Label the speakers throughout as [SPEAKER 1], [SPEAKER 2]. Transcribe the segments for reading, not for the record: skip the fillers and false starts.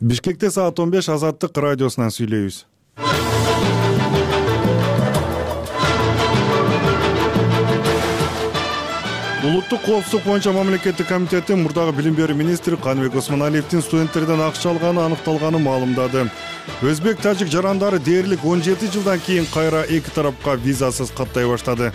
[SPEAKER 1] Бишкекте саат 15 Азаттык радиосунан сүйлөйбүз. Улуттук коопсуздук боюнча мамлекеттик комитети мурдагы билим берүү министри Каныбек Осмоналиевдин студенттерден акча алганы аныкталганын маалымдады. Өзбек тажик жарандары дээрлик 17 жылдан кийин кайра эки тарапка визасыз каттай баштады.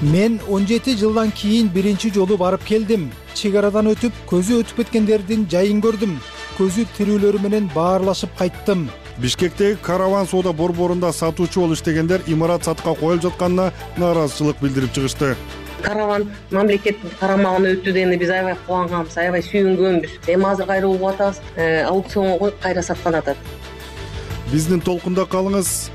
[SPEAKER 2] Мен 17 жылдан кийин биринчи жолу барып келдим. Чек арадан өтүп, көзү өтүп кеткендердин жайын көрдүм. Көзү тирүүлөрү менен баарлашып кайттым.
[SPEAKER 1] Бишкектеги караван соода борборунда сатуучу болуп иштегендер имарат сатыкка коюлуп жатканына нааразычылык билдирип чыгышты.
[SPEAKER 3] Караван мамлекеттин карамагына өттү дегенде биз аябай кубанганбыз, аябай сүйүнгөнбүз. Эми азыр кайра угуп атабыз, аукционго коюп кайра саткан атат.
[SPEAKER 1] Биздин толкунда калыңыз.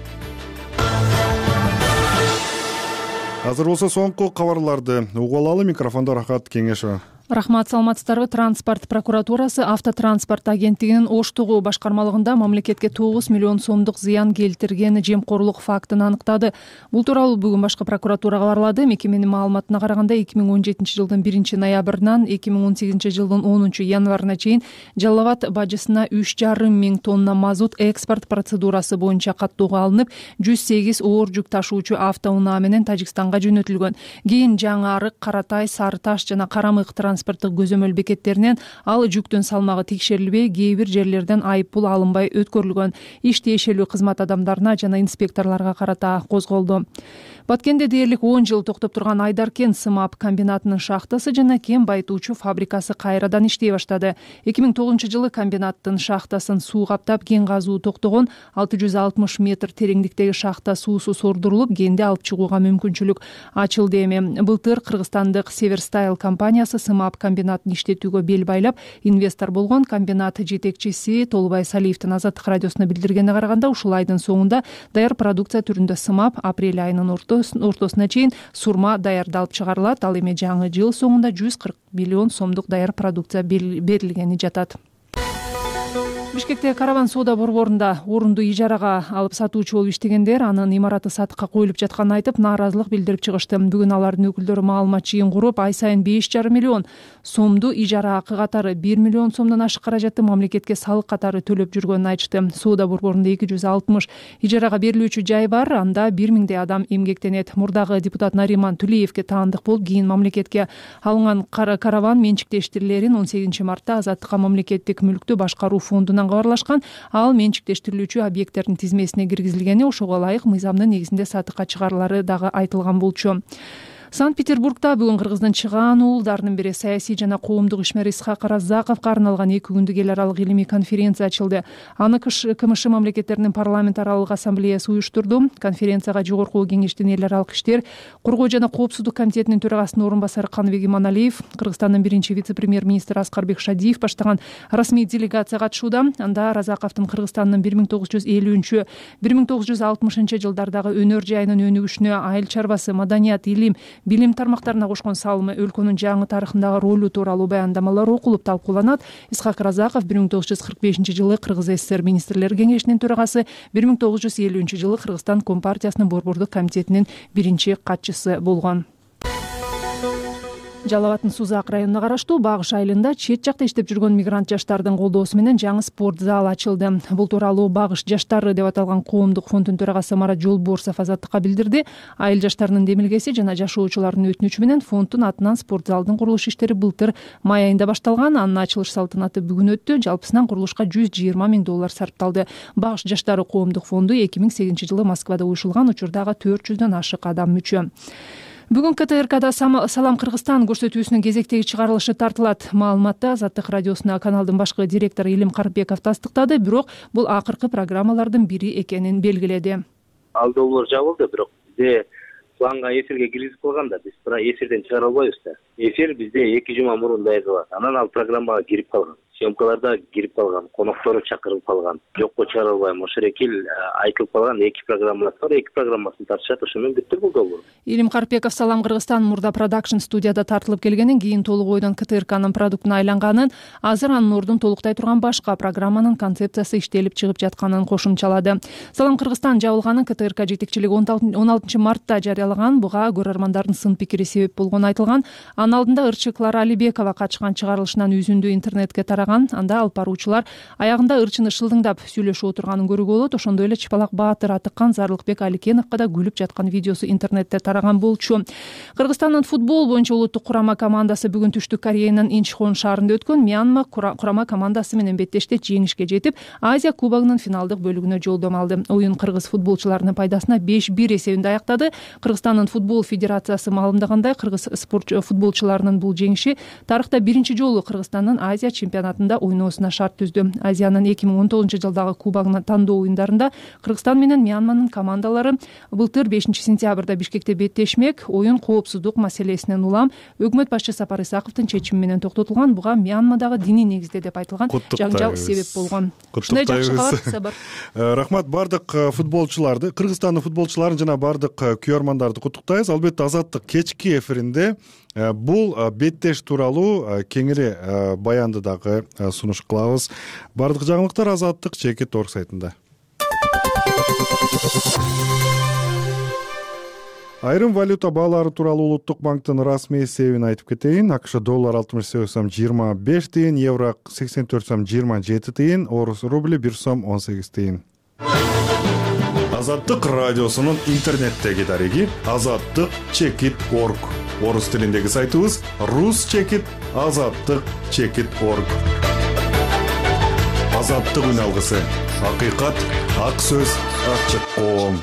[SPEAKER 1] Азыр болсо соңку кабарларды угуп алалы. Микрофондо Рахат Кеңешова.
[SPEAKER 4] Рахмат, саламатсыздарбы? Транспорт прокуратурасы автотранспорт агенттигинин Оштогу башкармалыгында мамлекетке 9 миллион сомдук зыян келтирген жемкорлук фактын аныктады. Бул тууралуу бүгүн башкы прокуратура кабарлады. Мекеменин маалыматына караганда 2017 жылдын 1-ноябрынан 2018 жылдын 10 январына чейин Жалал Абад бажысына 3,5 миң тонна мазут экспорт процедурасы боюнча каттоого алынып, 108 оор жүк ташуучу автоунаа менен Тажикстанга жөнөтүлгөн. Кийин Жаңы Арык, Каратай, Сары Таш жана Карамык транспорттук көзөмөл бекеттеринен ал жүктүн салмагы текшерилбей, кээ бир жерлерден айыппул алынбай өткөрүлгөн. Иш тиешелүү кызмат адамдарына жана инспекторлорго карата козголду. Баткенде дээрлик 10 жыл токтоп турган Айдаркен сымап комбинатынын шахтасы жана кен байытуучу фабрикасы кайрадан иштей баштады. 2009 жылы комбинаттын шахтасын суу каптап, кен казуу токтогон. 660 метр тереңдиктеги шахта суусу сордурулуп, кенди алып чыгууга мүмкүнчүлүк ачылды. Эми былтыр кыргызстандык Северстайл компаниясы сымап комбинатын иштетүүгө бел байлап, инвестор болгон. Комбинат жетекчиси Толубай Салиевдин Азаттык радиосуна билдиргенине караганда, ушул айдын соңунда даяр продукция түрүндө сымап, апрель айынын ортосуна чейин сурма даярдалып чыгарылат. Ал эми жаңы жыл соңунда 140 миллион сомдук даяр продукция берилгени жатат. Бишкектеги караван соода борборунда орунду ижарага алып сатуучу болуп иштегендер анын имараты сатыкка коюлуп жатканын айтып, нааразылык билдирип чыгышты. Бүгүн алардын өкүлдөрү маалымат жыйын куруп, ай сайын 5,5 миллион сомду ижара акы катары 1 миллион сомдон ашык каражатты мамлекетке салык катары төлөп жүргөнүн айтышты. Соода борборунда 260 ижарага берилүүчү жай бар, анда 1 миңдей адам эмгектенет. Мурдагы депутат Нариман Тулеевке таандык болуп, кийин мамлекетке алынган караван менчиктештирилерин 18 мартта Азаттыкка мамлекеттик мүлктү башкаруу фондунан кабарлашкан. Ал менчиктештирилүүчү объекттердин тизмесине киргизилгени, ошого ылайык мыйзамдын негизинде сатыкка чыгарылары дагы айтылган болчу. Санкт-Петербургда бүгүн Кыргыздын чыгаан уулдарынын бири саясий жана коомдук ишмер Исхак Разаковго арналган 2 күндүк эл аралык илимий конференция ачылды. Аны КМШ мамлекеттеринин парламент аралык ассамблеясы уюштурду. Конференцияга Жогорку Кеңештин эл аралык иштер, коргоо жана коопсуздук комитетинин төрагасынын орун басары Каныбек Иманалиев, Кыргызстандын биринчи вице-премьер-министри Аскарбек Шадиев баштаган расмий делегация катышууда. Анда Разаковдун Кыргызстандын 1950-1960 жылдардагы өнөр жайынын өнүгүшүнө, айыл чарбасы, маданият, илим, билим тармактарына кошкон салымы, өлкөнүн жаңы тарыхындагы ролу тууралуу баяндамалар окулуп талкууланат. Исхак Разаков 1945 жылы Кыргыз ССР министрлер кеңешинин төрагасы, 1950 жылы Кыргызстан Компартиясынын борбордук комитетинин биринчи катчысы болгон. Жалал Абадтын Сузак районуна караштуу Багыш айылында чет жакта иштеп жүргөн мигрант жаштардын колдоосу менен жаңы спорт зал ачылды. Бул тууралуу Багыш жаштары деп аталган коомдук фонддун төрагасы Марат Жолборсов Азаттыкка билдирди. Айыл жаштарынын демилгеси жана жашоочулардын өтүнүчү менен фонддун атынан спорт залдын курулуш иштери былтыр май айында башталган. Анын ачылыш салтанаты бүгүн өттү. Жалпысынан курулушка $120 миң сарпталды. Багыш жаштары коомдук фонду 2008 жылы Москвада уюшулган, учурдагы 400дөн ашык адам мүчө. Бүгүн КТРКда Салам Кыргызстан көрсөтүүсүнүн кезектеги чыгарылышы тартылат. Маалыматты Азаттык радиосуна каналдын башкы директору Илим Карпбеков тастыктады, бирок бул акыркы программалардын бири экенин белгиледи.
[SPEAKER 5] Алдоолор жабылды, бирок бизде планга эфирге киргизип калган да, биз эфирден чыгара албайбыз да. Эфир бизде 2 жума мурун даярдалат. Анан ал программага кирип калган. Съемкаларда кирип калган, коноктору чакырылып калган. Жокко чыгара албайм. Ошол экил айтылып калган 2 программа бар. 2 программасын тартышат, ошону бүттүр бул долбоор.
[SPEAKER 4] Илим Карпбеков Салам Кыргызстан мурда продакшн студияда тартылып келгенин, кийин толук ойдон КТРКнын продуктуна айланганын, азыр анын ордун толуктай турган башка программанын концепциясы иштелип чыгып жатканын кошумчалады. Салам Кыргызстан жабылганын КТРК жетекчилиги 16 мартта жарыялаган. Буга көрөрмандардын сын пикири себеп болгону айтылган. Анын алдында ырчык Клара Алибекова катышкан чыгарылышынан үзүндү интернетке тараган. баштаган. Анда алып баруучулар аягында ырчыны шылдыңдап сүйлөшүп отурганын көрүүгө болот. Ошондой эле Чыпалак Баатыр Атыккан Зарлыкбек Аликеновго да күлүп жаткан видеосу интернетте тараган болчу. Кыргызстандын футбол боюнча улуттук курама командасы бүгүн Түштүк Кореянын Инчхон шаарында өткөн Мьянма курама командасы менен беттеште жеңишке жетип, Азия кубогунун финалдык бөлүгүнө жолдомо алды. Оюн кыргыз футболчуларынын пайдасына 5-1 эсебинде аяктады. Кыргызстандын футбол федерациясы маалымдагандай, кыргыз футболчуларынын бул жеңиши тарыхта биринчи жолу Кыргызстандын Азия чемпионатында ойноосуна шарт түздү. Азиянын 2019-жылдагы кубогунун тандоо оюндарында Кыргызстан менен Мьянманын командалары былтыр 5-сентябрда Бишкекте беттешмек. Оюн коопсуздук маселесинен улам өкмөт башчы Сапар Исаковдун чечими менен токтотулган. Буга Мьянмадагы диний негизде деп айтылган жаңжал себеп болгон. Ушундай жакшы кабар, Сабар.
[SPEAKER 1] Рахмат бардык футболчуларды, Кыргызстандын футболчуларын жана бардык күйөрмандарды куттуктайбыз. Албетте Азаттык кечки эфиринде бул беттеш тууралуу кеңири баянды дагы сунуш кылабыз. Бардык жаңылыктар Азаттык Чекит.org сайтында. Айрым валюта баалары тууралуу Улуттук банктын расмий эсебин айтып кетейин. АКШ доллар 68 сом 25 тыйын, евро 84 сом 27 тыйын, орус рубли 1 сом 18 тыйын. Азаттык радиосунун интернеттеги дареги Азаттык.Чекит.org. Орус тилиндеги сайтыбыз Rus.Chekit Азаттык.Chekit.org. Азаттык үн алгысы. Акыйкат, ак сөз, ачык коом.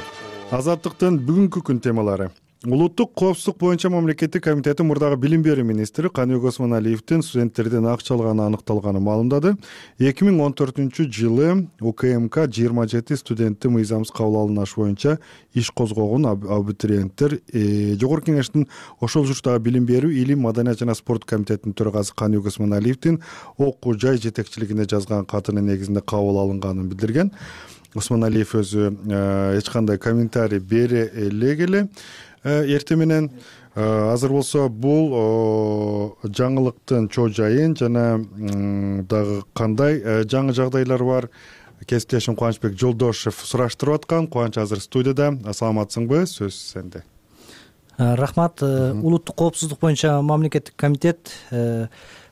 [SPEAKER 1] Азаттыктын бүгүнкү күн темалары. Улуттук коопсуздук боюнча мамлекеттик комитети мурдагы билим берүү министри Каныбек Осмоналиевдин студенттерден акча алганы аныкталганын маалымдады. 2014-жылы УКМК 27 студентти мыйзамсыз кабыл алыныш боюнча иш козгогон абитуриенттер Жогорку Кеңештин ошол жуштагы билим берүү, илим, маданият жана спорт комитетинин төрагасы Каныбек Осмоналиевдин окуу жай жетекчилигине жазган катынын негизинде кабыл алынганын билдирген. Осмоналиев өзү эч кандай комментарий бере элек эртең менен. Азыр болсо бул жаңылыктын чоо жайын жана дагы кандай жаңы жагдайлар бар, кесиптешим Кубанычбек Жолдошев сураштырып аткан. Кубаныч азыр студияда. Саламатсыңбы? Сөз сенде.
[SPEAKER 6] Рахмат. Улуттук коопсуздук боюнча мамлекеттик комитет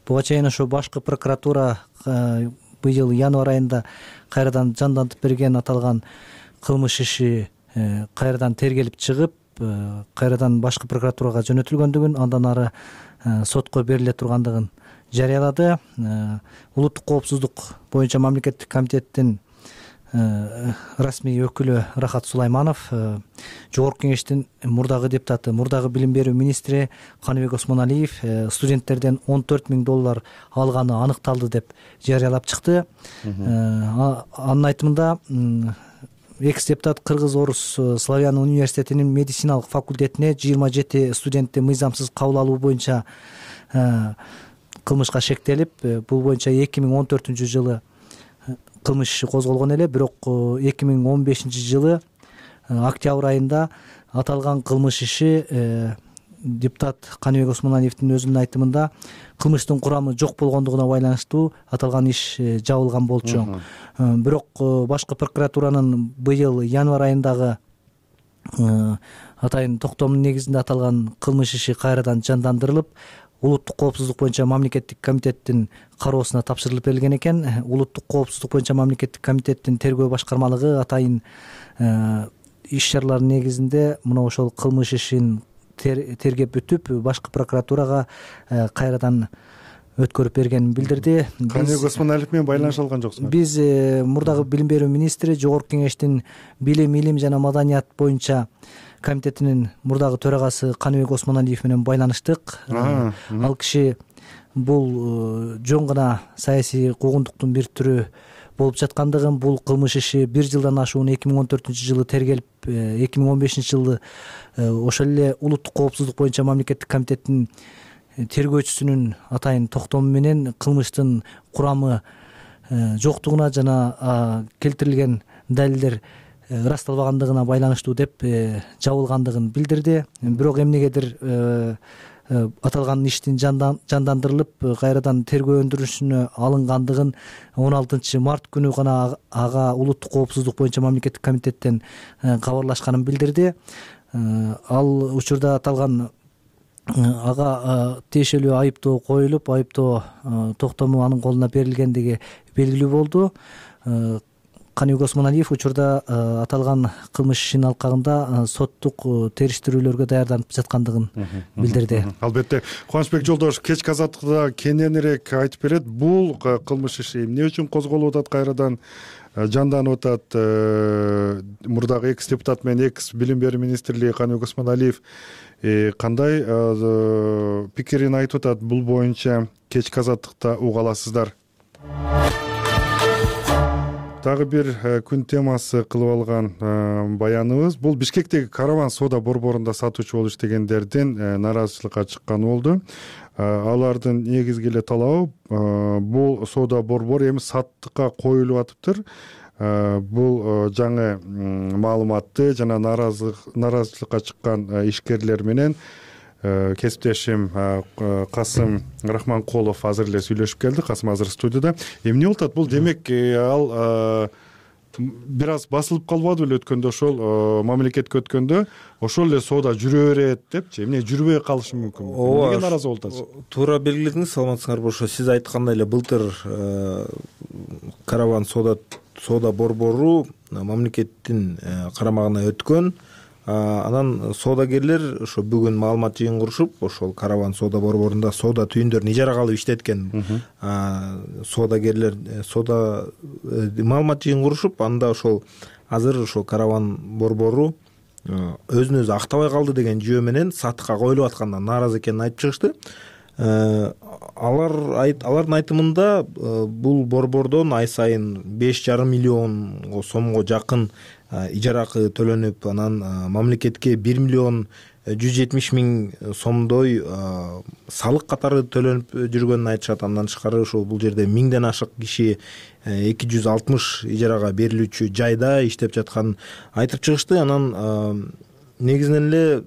[SPEAKER 6] буга чейин ошо башкы прокуратура быйыл январь айында кайрадан жандантып берген аталган кылмыш иши кайрадан тергелип чыгып, кайрадан башкы прокуратурага жөнөтүлгөндүгүн, андан ары сотко бериле тургандыгын жарыялады. Улуттук коопсуздук боюнча мамлекеттик комитеттин расмий өкүлү Рахат Сулайманов, Жогорку Кеңештин мурдагы депутаты, мурдагы билим берүү министри Каныбек Осмоналиев студенттерден $14,000 алганы аныкталды деп жарыялап чыкты. Анын айтымында экс-депутат Кыргыз-Орус Славян университетинин медициналык факультетине 27 студентти мыйзамсыз кабыл алуу боюнча кылмышка шектелип, бул боюнча 2014-жылы кылмыш иши козголгон эле, бирок 2015-жылы октябрь айында аталган кылмыш иши депутат Каныбек Осмоналиевдин өзүнүн айтымында кылмыштын курамы жок болгондугуна байланыштуу аталган иш жабылган болчу. Бирок башкы прокуратуранын быйыл январь айындагы атайын токтомунун негизинде аталган кылмыш иши кайрадан жандандырылып, улуттук коопсуздук боюнча мамлекеттик комитеттин кароосуна тапшырылып берилген экен. Улуттук коопсуздук боюнча мамлекеттик комитеттин тергөө башкармалыгы атайын иш чаралардын негизинде мына ошол кылмыш ишин тергеп бүтүп, башкы прокуратурага кайрадан өткөрүп бергенин билдирди.
[SPEAKER 1] Каныбек Осмоналиев менен байланыш алган жоксуңар? Биз
[SPEAKER 6] мурдагы билим берүү министри, Жогорку Кеңештин билим, илим жана маданият боюнча комитетинин мурдагы төрагасы Каныбек Осмоналиев менен байланыштык. Ал киши бул жөн гана саясий куугунтуктун бир түрү болуп жаткандыгын, бул кылмыш иши 1 жылдан ашуун 2014-жылы тергелип, 2015-жылы ошол эле улуттук коопсуздук боюнча мамлекеттик комитеттин тергөөчүсүнүн атайын токтому менен кылмыштын курамы жоктугуна жана келтирилген далилдер ырасталбагандыгына байланыштуу деп жабылгандыгын билдирди. Бирок эмнегедир аталган иштин жандандырылып, кайрадан тергөө өндүрүшүнө алынгандыгын 16 март күнү гана ага улуттук коопсуздук боюнча мамлекеттик комитеттен кабарлашканын билдирди. Ал учурда аталган ага тиешелүү айыптоо коюлуп, айыптоо токтому анын колуна берилгендиги белгилүү болду. Каныбек Осмоналиев учурда аталган кылмыш ишинин алкагында соттук териштирүүлөргө даярданып жаткандыгын билдирди.
[SPEAKER 1] Албетте, Кубанычбек Жолдошев кечки азаттыкта кененирээк айтып берет. Бул кылмыш иши эмне үчүн козголуп атат, кайрадан жанданып атат? Мурдагы экс депутат менен экс билим берүү министри Каныбек Осмоналиев кандай пикирин айтып атат? Бул боюнча кечки азаттыкта уга аласыздар. Дагы бир күн темасы кылып алган баяныбыз бул Бишкектеги караван соода борборунда сатуучу болуп иштегендердин нааразычылыкка чыкканы болду. Алардын негизги эле талабы бул соода борбору эми саттыкка коюлуп атыптыр. Бул жаңы маалыматты жана нааразычылыкка чыккан ишкерлер менен кесиптешим Касым Рахманкулов азыр эле сүйлөшүп келди. Касым азыр студияда. Эмне болуп атат? Бул демек ал бир аз басылып калбады беле өткөндө, ошол мамлекетке өткөндө ошол эле соода жүрө берет депчи. Эмне жүрбөй калышы мүмкүн? Эмнеге нааразы болуп атасыз?
[SPEAKER 7] Туура белгиледиңиз, саламатсыңарбы? Ошо сиз айткандай эле былтыр караван соода борбору мамлекеттин карамагына өткөн. Анан соодагерлер ошо бүгүн маалымат жыйынтырышып, ошол караван соода борборунда соода түйүндөрүн ижарага алып иштеткен соодагерлер маалымат жыйынтырышып, анда ошол азыр ошол караван борбору өзүн өзү актабай калды деген жүйө менен сатыкка коюлуп аткандан нааразы экенин айтып чыгышты. Алардын айтымында бул борбордон ай сайын 5,5 миллион сомго жакын ижара акы төлөнүп, анан мамлекетке 1 миллион 170 миң сомдой салык катары төлөнүп жүргөнүн айтышат. Андан тышкары ошол бул жерде 1000ден ашык киши 260 ижарага берилүүчү жайда иштеп жатканын айтып чыгышты. Анан негизинен эле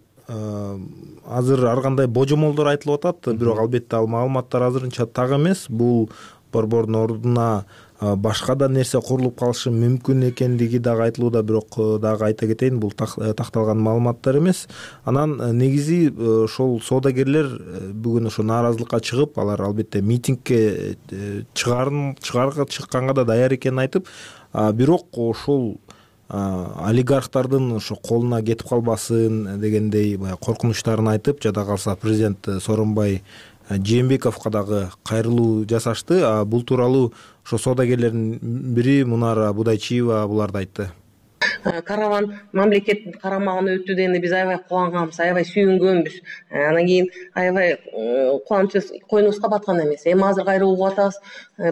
[SPEAKER 7] азыр ар кандай божомолдор айтылып атат, бирок албетте ал маалыматтар азырынча так эмес. Бул борбордун ордуна башка да нерсе курулуп калышы мүмкүн экендиги дагы айтылууда, бирок дагы айта кетейин, бул такталган маалыматтар эмес. Анан негизи ошол соодагерлер бүгүн ошо нааразылыкка чыгып, алар албетте митингге чыкканга да даяр экенин айтып, бирок ошол олигархтардын ошо колуна кетип калбасын дегендей баягы коркунучтарын айтып, жада калса президент Сооронбай Жээнбековго дагы кайрылуу жасашты. Бул тууралуу ошо соодагерлердин бири Мунара Будайчиева буларды айтты.
[SPEAKER 3] Караван мамлекеттин карамагына өттү дегенде биз аябай кубанганбыз, аябай сүйүнгөнбүз. Анан кийин аябай кубанычыбыз койнубузга баткан эмес. Эми азыр кайра угуп атабыз,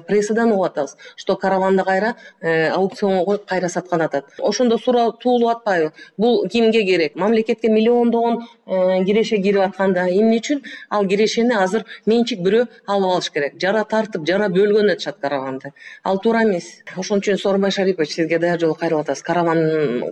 [SPEAKER 3] прессадан угуп атабыз, что караванды кайра аукционго коюп кайра саткан атат. Ошондо суроо туулуп атпайбы? Бул кимге керек? Мамлекетке миллиондогон киреше кирип атканда эмне үчүн ал кирешени азыр менчик бирөө алып алыш керек? Жара тартып, жара бөлгөн атышат караванды. Ал туура эмес. Ошон үчүн Сооронбай Шарипович, сизге даяр жолу кайрылып атабыз. Караван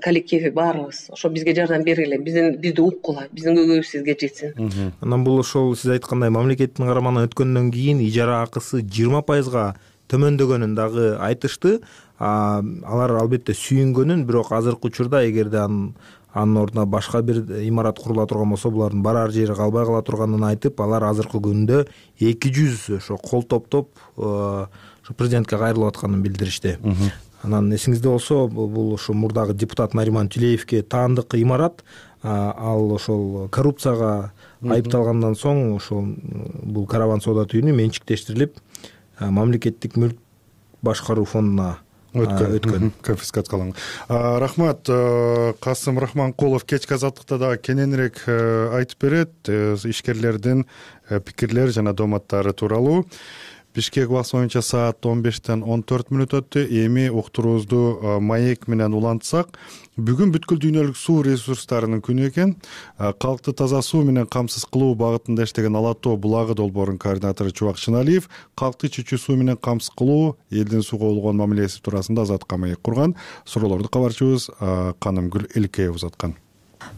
[SPEAKER 3] коллективи баарыбыз ошо бизге жардам бергиле, бизди уккула, биздин көйгөйүбүз сизге жетсин.
[SPEAKER 7] Анан бул ошол сиз айткандай мамлекеттин карамагына өткөндөн кийин ижара акысы 20% төмөндөгөнүн дагы айтышты. Алар албетте сүйүнгөнүн, бирок азыркы учурда эгерде анын ордуна башка бир имарат курула турган болсо, булардын барар жери калбай кала турганын айтып, алар азыркы күндө 200 ошо кол топтоп ошо президентке кайрылып атканын билдиришти. Анан эсиңизде болсо, бул ошо мурдагы депутат Нариман Тюлеевке таандык имарат, ал ошол коррупцияга айыпталгандан соң ошол бул караван соода түйүнү менчиктештирилип, мамлекеттик мүлк башкаруу фондуна өткөн,
[SPEAKER 1] конфискацияланган. Рахмат. Касым Рахманкулов кечки азаттыкта да кененирээк айтып берет ишкерлердин пикирлери жана дооматтары тууралуу. Бишкек убакыты боюнча саат 15-тен 14 өттү. Эми уктуруубузду маек менен улантсак, бүгүн бүткүл дүйнөлүк суу ресурстарынын күнү экен. Калкты таза суу менен камсыз кылуу багытында иштеген Ала Тоо булагы долбоорунун координатору Чубак Шыналиев калкты чүчүү суу менен камсыз кылуу, элдин сууга болгон мамилеси туурасында Азатка маек курган. Суроолорду кабарчыбыз Канымгүл Элкеева узаткан.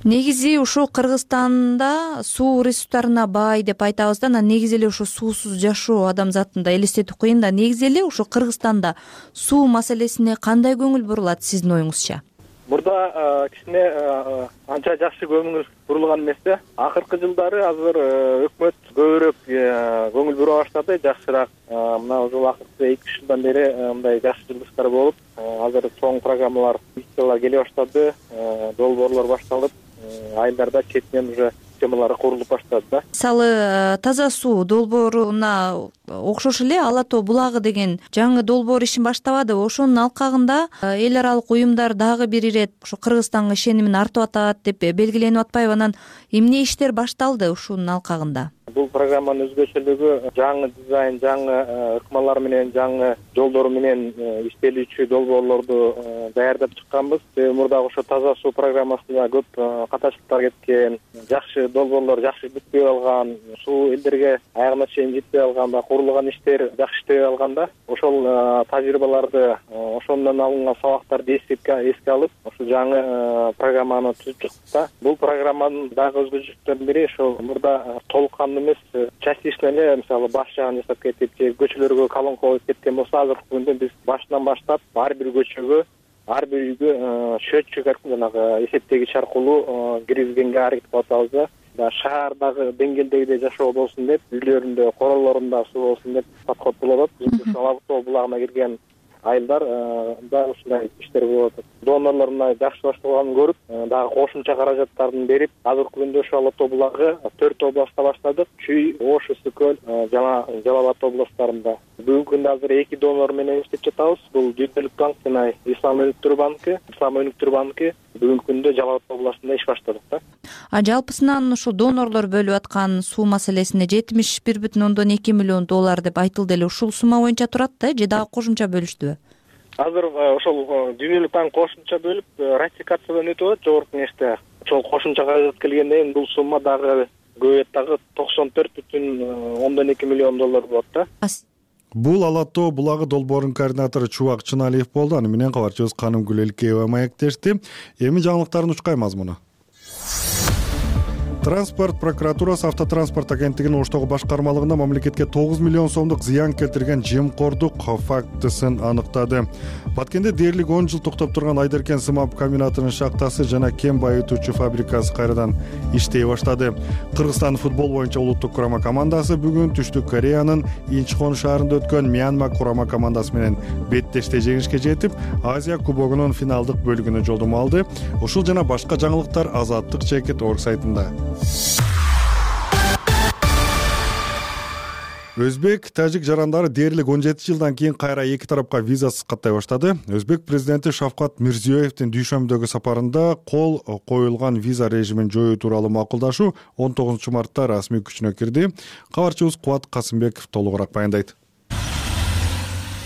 [SPEAKER 8] Негизи ушул Кыргызстанда суу ресурстарына бай деп айтабыз да, анан негизи эле ошо суусуз жашоо адамзатында элестетип коеюн да. Негизи эле ошо Кыргызстанда суу маселесине кандай көңүл бурулат сиздин оюңузча?
[SPEAKER 9] Мурда кичине анча жакшы көңүл бурулган эмес да. Акыркы жылдары азыр өкмөт көбүрөөк көңүл бура баштады, жакшыраак. Мына ушул акыркы 2-3 жылдан бери мындай жакшы жылдыштар болуп, азыр чоң программалар, миссиялар келе баштады, долбоорлор башталып, айылдарда четинен уже системалары курулуп баштады да.
[SPEAKER 8] Мисалы, таза суу долбооруна окшош эле Ала тоо булагы деген жаңы долбоор ишин баштабадыбы? Ошонун алкагында эл аралык уюмдар дагы бир ирет ушу Кыргызстанга ишенимин артып атат деп белгиленип атпайбы? Анан эмне иштер башталды ушунун алкагында?
[SPEAKER 9] Бул программанын өзгөчөлүгү жаңы дизайн, жаңы ыкмалар менен, жаңы жолдор менен иштелүүчү долбоорлорду даярдап чыкканбыз. Мурдагы ошо таза суу программасында көп катачылыктар кеткен, жакшы долбоорлор жакшы бүтпөй алган, суу элдерге аягына чейин жетпей алган, курулган иштер жакшы иштебей алган да. Ошол тажрыйбаларды, ошондон алынган сабактарды эске алып, ошо жаңы программаны түзүп чыктык да. Бул программанын дагы өзгөчөлүктөрүнүн бири ошол мурда толук кандуу эмес, частично эле, мисалы баш жагын жасап кетип, же көчөлөргө колонка коюп кеткен болсо, азыркы күндө биз башынан баштап ар бир көчөгө, ар бир үйгө счетчик жанагы эсептегич аркылуу киргизгенге аракет кылып атабыз да. Шаардагы деңгээлдегидей жашоо болсун деп, үйлөрүндө, королорунда суу болсун деп подход болуп атат. Биз Ала тоо булагына кирген айылдар да ушундай иштер болуп атат. Донорлор мына жакшы башталганын көрүп, дагы кошумча каражаттарын берип, азыркы күндө ошо Ала тоо булагы 4 областта баштадык. Чүй, Ош, Ысык көл, жана Жалал Абад областтарында. Бүгүнкү күндө азыр 2 донор менен иштеп жатабыз. Бул Дүрдүлүк банк жана Ислам өнүктүрүү банкы бүгүнкү күндө Жалал Абад областында иш баштадык да.
[SPEAKER 8] Жалпысынан ушу донорлор бөлүп аткан суу маселесине $71,2 миллион деп айтылды эле. Ушул сумма боюнча турат да, же дагы кошумча бөлүштүбү?
[SPEAKER 9] Азыр ошол Дүрдүлүк банк кошумча бөлүп ратификациядан өтүп атат жогорку кеңеште. Ошол кошумча каражат келгенден кийин бул сумма дагы көбөйөт, дагы $94,2 миллион болот да.
[SPEAKER 1] Бул Ала тоо булагы долбоорунун координатору Чубак Чыналиев болду. Аны менен кабарчыбыз Канымгүл Элкеева маектешти. Эми жаңылыктардын учкай мазмуну. Транспорт прокуратурасы автотранспорт агенттигинин Оштогу башкармалыгында мамлекетке 9 миллион сомдук зыян келтирген жемкордук фактысын аныктады. Баткенде дээрлик 10 жыл токтоп турган Айдеркен сымап комбинатынын шахтасы жана кен байытуучу фабрикасы кайрадан иштей баштады. Кыргызстан футбол боюнча улуттук курама командасы бүгүн Түштүк Кореянын Инчхон шаарында өткөн Мьянма курама командасы менен беттеште жеңишке жетип, Азия кубогунун финалдык бөлүгүнө жолдомо алды. Ушул жана башка жаңылыктар Азаттык Чекит орг сайтында. Өзбек, тажик жарандары дээрлик 17 жылдан кийин кайра эки тарапка визасыз каттай баштады. Өзбек президенти Шавкат Мирзиёевдин дүйшөмбүдөгү сапарында кол коюлган виза режимин жоюу тууралуу макулдашуу 19 мартта расмий күчүнө кирди. Кабарчыбыз Кубат Касымбеков толугураак баяндайт.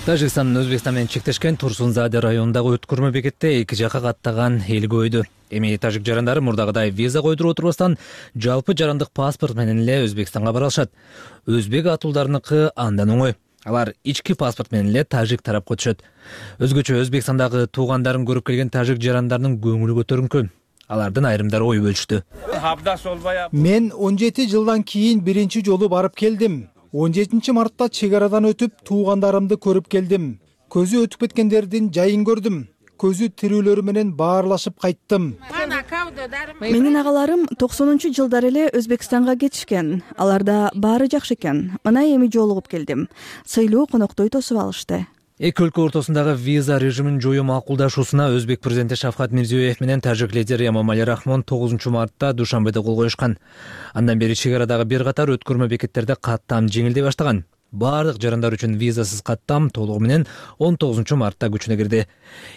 [SPEAKER 10] Тажикстандын Өзбекстан менен чектешкен Турсунзаде районундагы өткөрмө бекетте эки жака каттаган эл көбөйдү. Эми тажик жарандары мурдагыдай виза койдуруп отурбастан жалпы жарандык паспорт менен эле Өзбекстанга бара алышат. Өзбек атуулдарыныкы андан оңой. Алар ички паспорт менен эле тажик тарапка өтүшөт. Өзгөчө Өзбекстандагы туугандарын көрүп келген тажик жарандарынын көңүлү көтөрүнкү. Алардын айрымдары ой бөлүштү.
[SPEAKER 2] Мен 17 жылдан кийин биринчи жолу барып келдим. 17 мартта чек арадан өтүп, туугандарымды көрүп келдим. Көзү өтүп кеткендердин жайын көрдүм. Көзү тирүүлөрү менен баарлашып кайттым.
[SPEAKER 11] Менин агаларым 90-жылдары эле Өзбекстанга кетишкен. Аларда баары жакшы экен. Мына эми жолугуп келдим. Сыйлуу коноктой тосуп алышты.
[SPEAKER 10] Эки өлкө ортосундагы виза режимин жоюу макулдашуусуна Өзбек президенти Шавкат Мирзиёев менен тажик лидери Эмомали Рахмон 9 мартта Душанбеде кол коюшкан. Андан бери чек арадагы бир катар өткөрмө бекеттерде каттам жеңилдей баштаган. Бардык жарандар үчүн визасыз каттам толугу менен 19 мартта күчүнө кирди.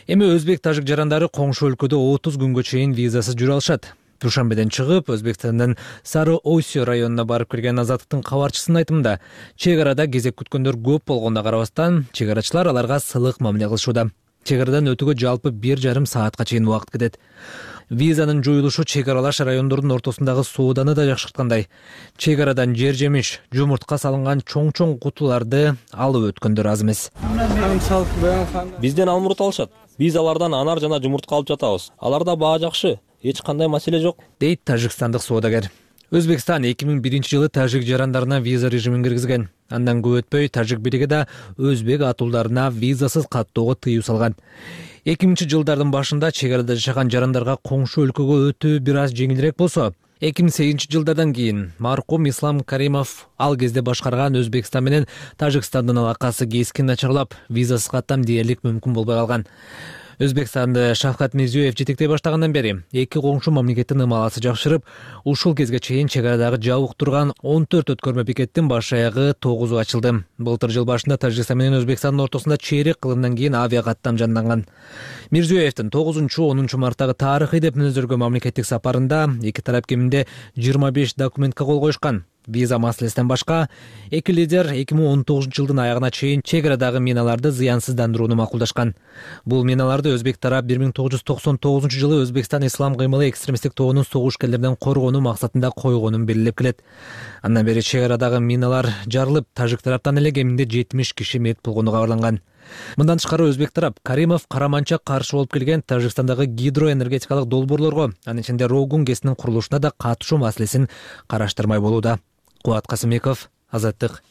[SPEAKER 10] Эми өзбек тажик жарандары коңшу өлкөдө 30 күнгө чейин визасыз жүрө алышат. Душанбеден чыгып, Өзбекстандын Сары Ойсё районуна барып келген Азаттыктын кабарчысынын айтымында, чек арада кезек күткөндөр көп болгонуна карабастан, чек арачылар аларга сылык мамиле кылышууда. Чек арадан өтүүгө жалпы 1,5 саатка чейин убакыт кетет. Визанын жоюлушу чек аралаш райондордун ортосундагы сооданы да жакшырткандай. Чек арадан жер жемиш, жумуртка салынган чоң-чоң кутуларды алып өткөндөр аз эмес.
[SPEAKER 12] Бизден алмурут алышат. Биз алардан анар жана жумуртка алып жатабыз. Аларда баа жакшы. Эч кандай маселе жок,
[SPEAKER 10] дейт тажикстандык соодагер. Өзбекстан 2001-жылы тажик жарандарына виза режимин киргизген. Андан көп өтпөй тажик бириги да өзбек атуулдарына визасыз каттоого тыюу салган. 2000-жылдардын башында чек арада жашаган жарандарга коңшу өлкөгө өтүү бир аз жеңилирээк болсо, 2008-жылдардан кийин маркум Ислам Каримов ал кезде башкарган Өзбекстан менен Тажикстандын алакасы кескин начарлап, визасыз каттам дээрлик мүмкүн болбой калган. Өзбекстанды Шавкат Мирзиёев жетектей баштагандан бери эки коңшу мамлекеттин ымаласы жакшырып, ушул кезге чейин чек арадагы жабык турган 14 өткөрмө бекеттин баш аягы 9 ачылды. Былтыр жыл башында Тажикстан менен Өзбекстандын ортосунда чейрек кылымдан кийин авиа каттам жанданган. Мирзиёевдин 9-10 марттагы тарыхый деп мүнөздөргөн мамлекеттик сапарында эки тарап кеминде 25 документке кол коюшкан. Виза маселесинен башка эки лидер 2019-жылдын аягына чейин чек арадагы миналарды зыянсыздандырууну макулдашкан. Бул миналарды өзбек тарап 1999-жылы Өзбекстан ислам кыймылы экстремисттик тобунун согушкерлерден коргонуу максатында койгонун белгилеп келет. Андан бери чек арадагы миналар жарылып, тажик тараптан эле кеминде 70 киши мерт болгону кабарланган. Мындан тышкары өзбек тарап Каримов караманча каршы болуп келген Тажикстандагы гидроэнергетикалык долбоорлорго, анын ичинде Рогун КЭСинин курулушуна да катышуу маселесин караштырмай болууда. Кубат Касымбеков, Азаттык.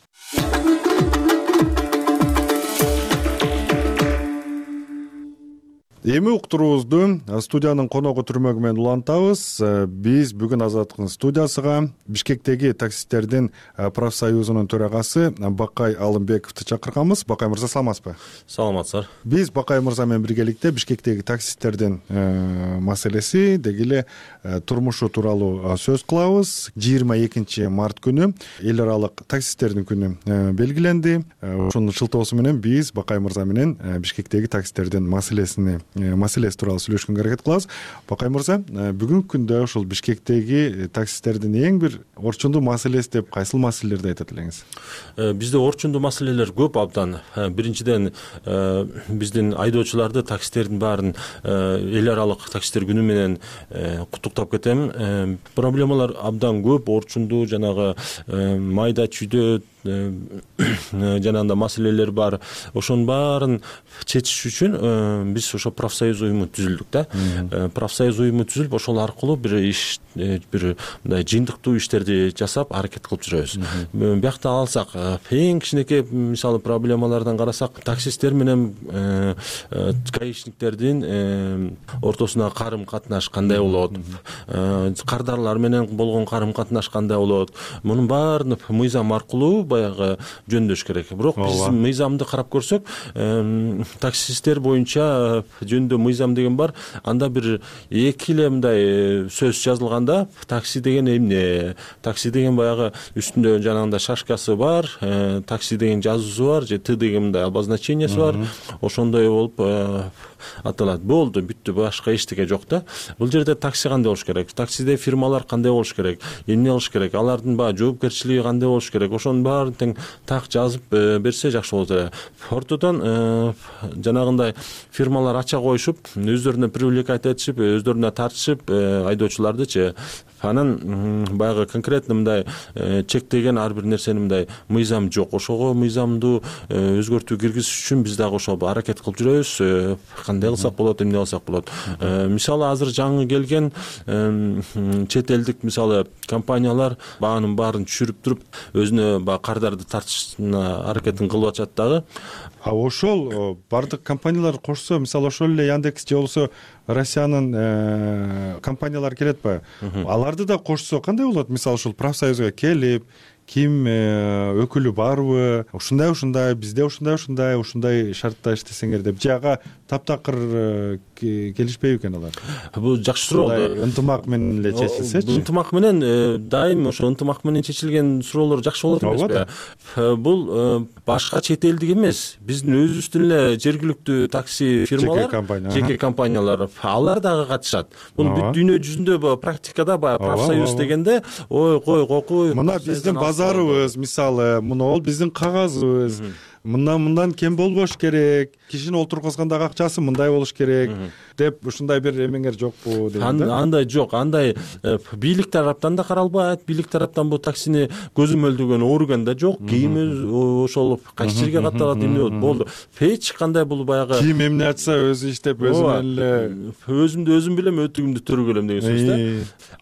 [SPEAKER 1] Эми уктуруубузду студиянын коногу түрмөгү менен улантабыз. Биз бүгүн Азаттыктын студиясыга Бишкектеги таксисттердин профсоюзунун төрагасы Бакай Алымбековду чакырганбыз. Бакай мырза, саламатсызбы?
[SPEAKER 13] Саламатсыздар.
[SPEAKER 1] Биз Бакай мырза менен биргеликте Бишкектеги таксисттердин маселеси, деги эле турмушу тууралуу сөз кылабыз. 22 март күнү эл аралык таксисттердин күнү белгиленди. Ошонун шылтоосу менен биз Бакай мырза менен Бишкектеги таксисттердин маселеси тууралуу сүйлөшкөнгө аракет кылабыз. Бакай мырза, бүгүнкү күндө ушул Бишкектеги таксисттердин эң бир орчундуу маселеси деп кайсыл маселелерди айтат элеңиз?
[SPEAKER 13] Бизде орчундуу маселелер көп абдан. Биринчиден, биздин айдоочуларды, таксисттердин баарын эл аралык таксисттер күнү менен куттуктап кетем. Проблемалар абдан көп, орчундуу, жанагы майда чүйдө жанагындай маселелер бар. Ошонун баарын чечиш үчүн биз ошо профсоюз уюму түзүлдүк да. Профсоюз уюму түзүлүп, ошол аркылуу бир мындай жыйынтыктуу иштерди жасап аракет кылып жүрөбүз. Биякта алсак, эң кичинекей мисалы проблемалардан карасак, таксисттер менен гаишниктердин ортосуна карым катнаш кандай болот? Кардарлар менен болгон карым катнаш кандай болот? Мунун баарын мыйзам аркылуу баягы жөндөш керек. Бирок биз мыйзамды карап көрсөк, таксисттер боюнча жөндөө мыйзам деген бар. Анда бир эки эле мындай сөз жазылганда, такси деген эмне? Такси деген баягы үстүндө жанагындай шашкасы бар, такси деген жазуусу бар, же Т деген мындай обозначениясы бар. Ошондой болуп аталат. Болду, бүттү, башка эчтеке жок да. Бул жерде такси кандай болуш керек? Таксиде фирмалар кандай болуш керек? Эмне кылыш керек? Алардын баягы жоопкерчилиги кандай болуш керек? Ошонун баарын тең так жазып берсе жакшы болот эле. Ортодон жанагындай фирмалар ача коюшуп, өздөрүнө привлекать этишип, өздөрүнө тартышып айдоочулардычы. Анан баягы конкретно мындай чектеген ар бир нерсени мындай мыйзам жок. Ошого мыйзамды өзгөртүү киргизиш үчүн биз дагы ошол аракет кылып жүрөбүз. Кандай кылсак болот, эмне кылсак болот. Мисалы азыр жаңы келген чет элдик мисалы компаниялар баанын баарын түшүрүп туруп, өзүнө баягы кардарды тартышына аракетин кылып атышат дагы.
[SPEAKER 1] Ошол бардык компаниялар кошсо, мисалы ошол эле Яндекс же болбосо Россиянын компаниялары келетпи? Аларды да кошсо кандай болот? Мисалы ушул профсоюзга келип, ким өкүлү барбы? Ушундай, бизде ушундай шартта иштесеңер деп жага таптакыр келишпейби экен алар?
[SPEAKER 13] Бул жакшы суроо.
[SPEAKER 1] Ынтымак менен эле чечилсечи.
[SPEAKER 13] Ынтымак менен дайым ошо ынтымак менен чечилген суроолор жакшы болот эмеспи? Бул башка чет элдик эмес. Биздин өзүбүздүн эле жергиликтүү такси фирмалар, жеке компаниялар, алар дагы катышат. Бул бүт дүйнө жүзүндө практикада баягы профсоюз дегенде, ой кой кокуй.
[SPEAKER 1] Мына биздин базарыбыз, мисалы, мына ол биздин кагазыбыз. Мындан кем болбош керек, кишини олтургузгандагы акчасы мындай болуш керек деп ушундай бир эмеңер жокпу деген да?
[SPEAKER 13] Андай жок, андай бийлик тараптан да каралбайт, бийлик тараптан бул таксини көзөмөлдөгөн орган да жок, кийим ошол кайсы жерге катталат, эмне болду. Эч кандай бул баягы
[SPEAKER 1] ким эмне айтса өзү иштеп, өзү менен эле
[SPEAKER 13] өзүмдү өзүм билем, өтүгүмдү төрөгөлөм деген сөз да.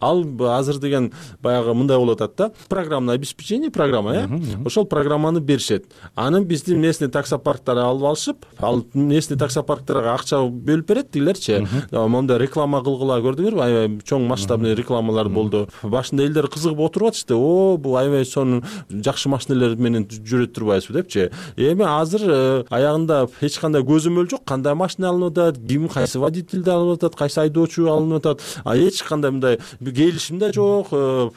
[SPEAKER 13] Ал азыр деген баягы мындай болуп атат да, программное обеспечение программа, ошол программаны беришет. Анын бизди эски местный таксопарктарды алып алышып, ал местный таксопарктарга акча бөлүп берет тигилерчи. Монда реклама кылгыла, көрдүңөрбү? Аябай чоң масштабный рекламалар болду. Башында элдер кызыгып отуруп атышты. Бул аябай сонун жакшы машиналер менен жүрөт турбайбызбы депчи. Эми азыр аягында эч кандай көзөмөл жок. Кандай машина алынып атат, ким кайсы водительди алып атат, кайсы айдоочу алынып атат. Эч кандай мындай келишим да жок.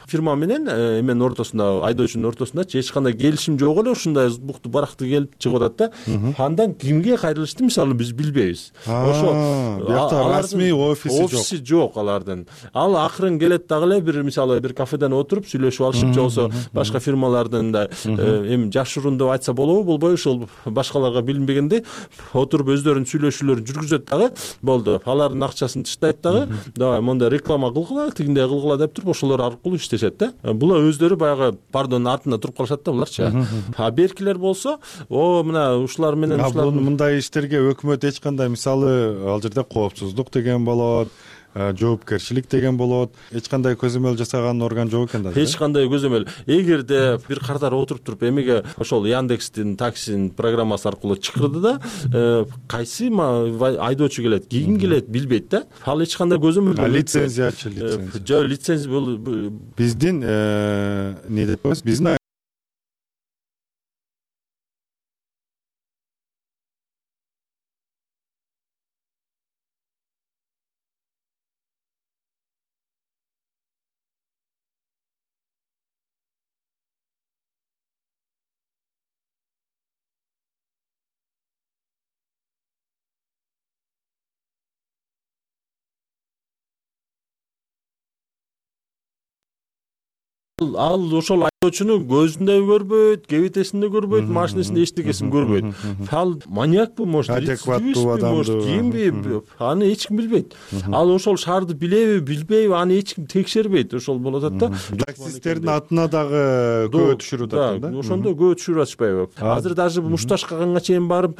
[SPEAKER 13] Фирма менен эменин ортосунда, айдоочунун ортосунда эч кандай келишим жок эле. Ушундай букту баракты келип чыгып атат да. Андан кимге кайрылышты мисалы биз билбейбиз.
[SPEAKER 1] Ошо бuyakta расмий офиси
[SPEAKER 13] жок алардын. Ал акырын келет дагы эле бир мисалы бир кафеден отуруп сүйлөшүп алышып, же болбосо башка фирмалардын да эми жашыруун деп айтса болобу, болбойбу, ошол башкаларга билинбегенде отуруп өздөрүнүн сүйлөшүүлөрүн жүргүзөт дагы. Болду. Алардын акчасын таштайт дагы. Давай монда реклама кылгыла, тигиндей кылгыла деп туруп ошолор аркылуу иштешет да. Булар өздөрү баягы пардон артында туруп калышат да буларчы. Беркилер болсо, мына ушулар менен
[SPEAKER 1] мындай иштерге өкмөт эч кандай мисалы ал жерде коопсуздук деген болот, жоопкерчилик деген болот. Эч кандай көзөмөл жасаган орган жок экен да.
[SPEAKER 13] Эч кандай көзөмөл. Эгерде бир катар отуруп туруп эмеге ошол Яндекстин таксинин программасы аркылуу чакырды да, кайсы айдоочу келет, ким келет билбейт да. Ал эч кандай көзөмөл.
[SPEAKER 1] Лицензиячы
[SPEAKER 13] жок, лицензия
[SPEAKER 1] биздин эмне деп коебуз? Биздин
[SPEAKER 13] ал ошол айдоочуну көзүндө көрбөйт, кебетесинде көрбөйт, машинесинде эчтекесин көрбөйт. Ал маньякпы, может,
[SPEAKER 1] адекваттуу адамды,
[SPEAKER 13] кимби, аны эч ким билбейт. Ал ошол шаарды билеби, билбейби, аны эч ким текшербейт. Ошол болуп атат да.
[SPEAKER 1] Таксисттердин атына дагы көө түшүрүп атат да.
[SPEAKER 13] Ошондо көө түшүрүп атышпайбы? Азыр даже мушташкаганга чейин барып,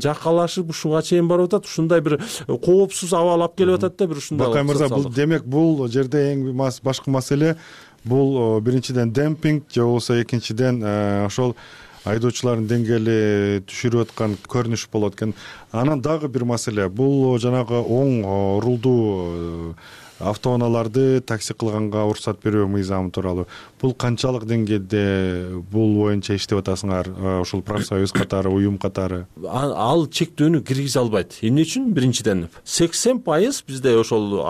[SPEAKER 13] жакалашып, ушуга чейин барып атат. Ушундай бир коопсуз аба алып келип атат да, бир ушундай.
[SPEAKER 1] Бакай мырза, бул демек бул жерде эң башкы маселе бул биринчиден демпинг, же болбосо экинчиден ошол айдоочулардын деңгээли түшүрүп аткан көрүнүш болот экен. Анан дагы бир маселе, бул жанагы оң рулдуу автоунааларды такси кылганга уруксат берүү мыйзамы тууралуу. Бул канчалык деңгээлде бул боюнча иштеп атасыңар, ушул профсоюз катары, уюм катары?
[SPEAKER 13] Ал чектөөнү киргизе албайт. Эмне үчүн? Биринчиден 80% бизде ошол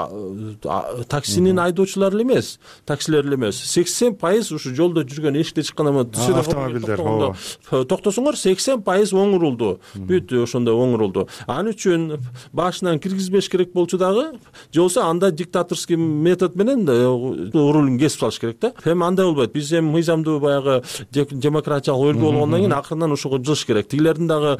[SPEAKER 13] таксинин айдоочулары эле эмес, таксилер эле эмес. 80% ушу жолдо жүргөн, эшикте чыкканда
[SPEAKER 1] автомобилдер
[SPEAKER 13] токтосоңор 80% оң рулду. Бүт ошондой оң рулду. Ал үчүн башынан киргизбеш керек болчу дагы, же болбосо анда диктаторский метод менен рулун кесип салыш керек да. Эми андай болбойт. Биз эми мыйзамдуу баягы демократиялык өлкө болгондон кийин акырынан ошого жылыш керек. Тигилердин дагы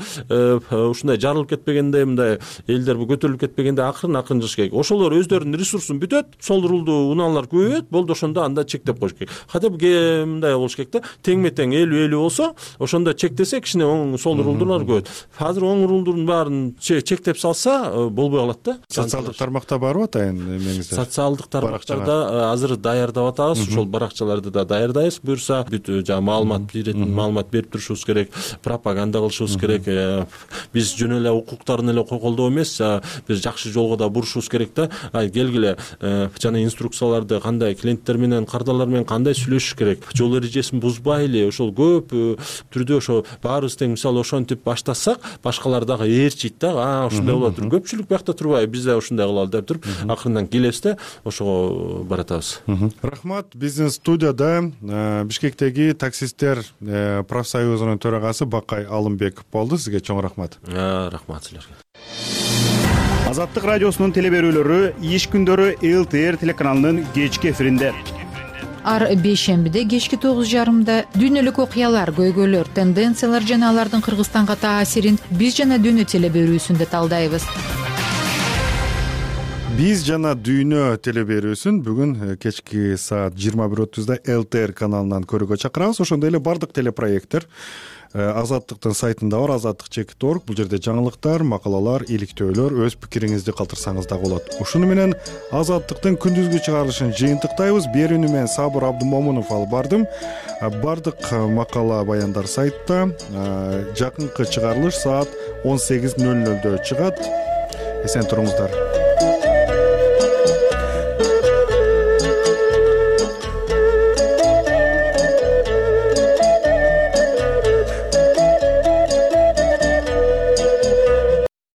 [SPEAKER 13] ушундай жарылып кетпегенде, мындай элдер көтөрүлүп кетпегенде акырын жылыш керек. Ошолор өздөрүнүн ресурсун бүтөт, сол рулдуу унаалар көбөйөт, болду ошондо анда чектеп коюш керек. Хотя бы мындай болуш керек да. Тең-метең 50-50 болсо, ошондо чектесе кичине оң сол рулдуулар көбөйөт. Азыр оң рулдун баарын чектеп салса болбой калат да.
[SPEAKER 1] Социалдык тармакта барбы атайын эмеңизде?
[SPEAKER 13] Социалдык тармактарда азыр даярдап атабыз. Ошол баракчаларды да даярдайбыз. Буюрса бүт маалымат беретін маалымат берип турушубуз керек, пропаганда кылышыбыз керек. Биз жөн эле укуктарын эле колдоо эмес, биз жакшы жолго да бурушубуз керек да. Келгиле жана инструкцияларды кандай клиенттер менен, кардарлар менен кандай сүйлөшүш керек, жол эрежесин бузбайлы, ошол көп түрдө ошо баарыбыз тең мисалы ошентип баштасак, башкалар дагы ээрчийт да. Ушундай болот. Көпчүлүк биякта турбайбы, биз да ушундай кылалы деп туруп, акырындан келебиз да, ошого баратабыз.
[SPEAKER 1] Рахмат. Биздин студияда Бишкектеги таксисттер профсоюзунун төрагасы Бакай Алымбеков болду. Сизге чоң рахмат.
[SPEAKER 13] Рахмат силерге.
[SPEAKER 14] Азаттык радиосунун телеберүүлөрү иш күндөрү ЛТР телеканалынын кечки эфиринде.
[SPEAKER 15] Ар бейшембиде кечки 9:30 дүйнөлүк окуялар, көйгөйлөр, тенденциялар жана алардын Кыргызстанга таасирин биз жана дүйнө телеберүүсүндө талдайбыз.
[SPEAKER 1] Биз жана дүйнө телеберүүсүн бүгүн кечки саат 21:30 ЛТР каналынан көрүүгө чакырабыз. Ошондой эле бардык телепроекттер Азаттыктын сайтында бар, azattik.org. Бул жерде жаңылыктар, макалалар, иликтөөлөр, өз пикириңизди калтырсаңыз да болот. Ушуну менен Азаттыктын күндүзгү чыгарылышын жыйынтыктайбыз. Берүүнү мен Сабыр Абдымомунов алып бардым. Бардык макала, баяндар сайтта. Жакынкы чыгарылыш саат 18:00 чыгат. Эсен туруңуздар.